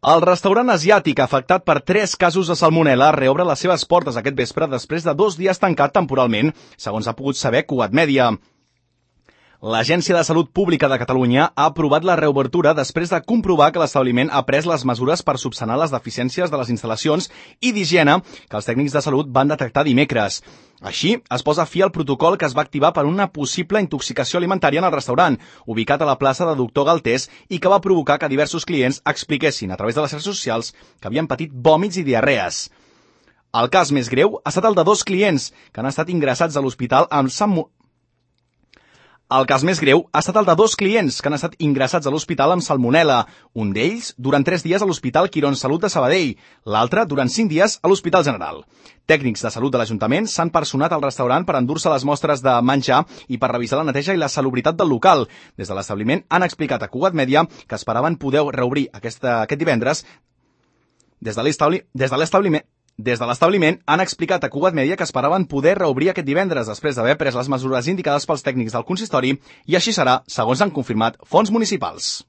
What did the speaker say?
El restaurant asiàtic afectat per 3 casos de salmonel·la reobre les seves portes aquest vespre després de 2 dies tancat temporalment, segons ha pogut saber Cugat Mèdia. L'Agència de Salut Pública de Catalunya ha aprovat la reobertura després de comprovar que l'establiment ha pres les mesures per subsanar les deficiències de les instal·lacions i d'higiene que els tècnics de salut van detectar dimecres. Així, es posa fi al protocol que es va activar per una possible intoxicació alimentària en el restaurant, ubicat a la plaça de Doctor Galtés, i que va provocar que diversos clients expliquessin a través de les xarxes socials que havien patit vòmits i diarrees. El cas més greu ha estat el de 2 clients que han estat ingressats a l'hospital amb salmonel·la. El cas més greu ha estat el de 2 clients que han estat ingressats a l'hospital amb salmonel·la, un d'ells durant 3 dies a l'Hospital Quirón Salut de Sabadell, l'altre durant 5 dies a l'Hospital General. Tècnics de salut de l'Ajuntament s'han personat al restaurant per endur-se les mostres de menjar i per revisar la neteja i la salubritat del local. Des de l'establiment han explicat a Cugat Mèdia que esperaven poder reobrir aquest divendres. Des de l'establiment han explicat a Cugat Mèdia que esperaven poder reobrir aquest divendres després d'haver pres les mesures indicades pels tècnics del consistori, i així serà, segons han confirmat fonts municipals.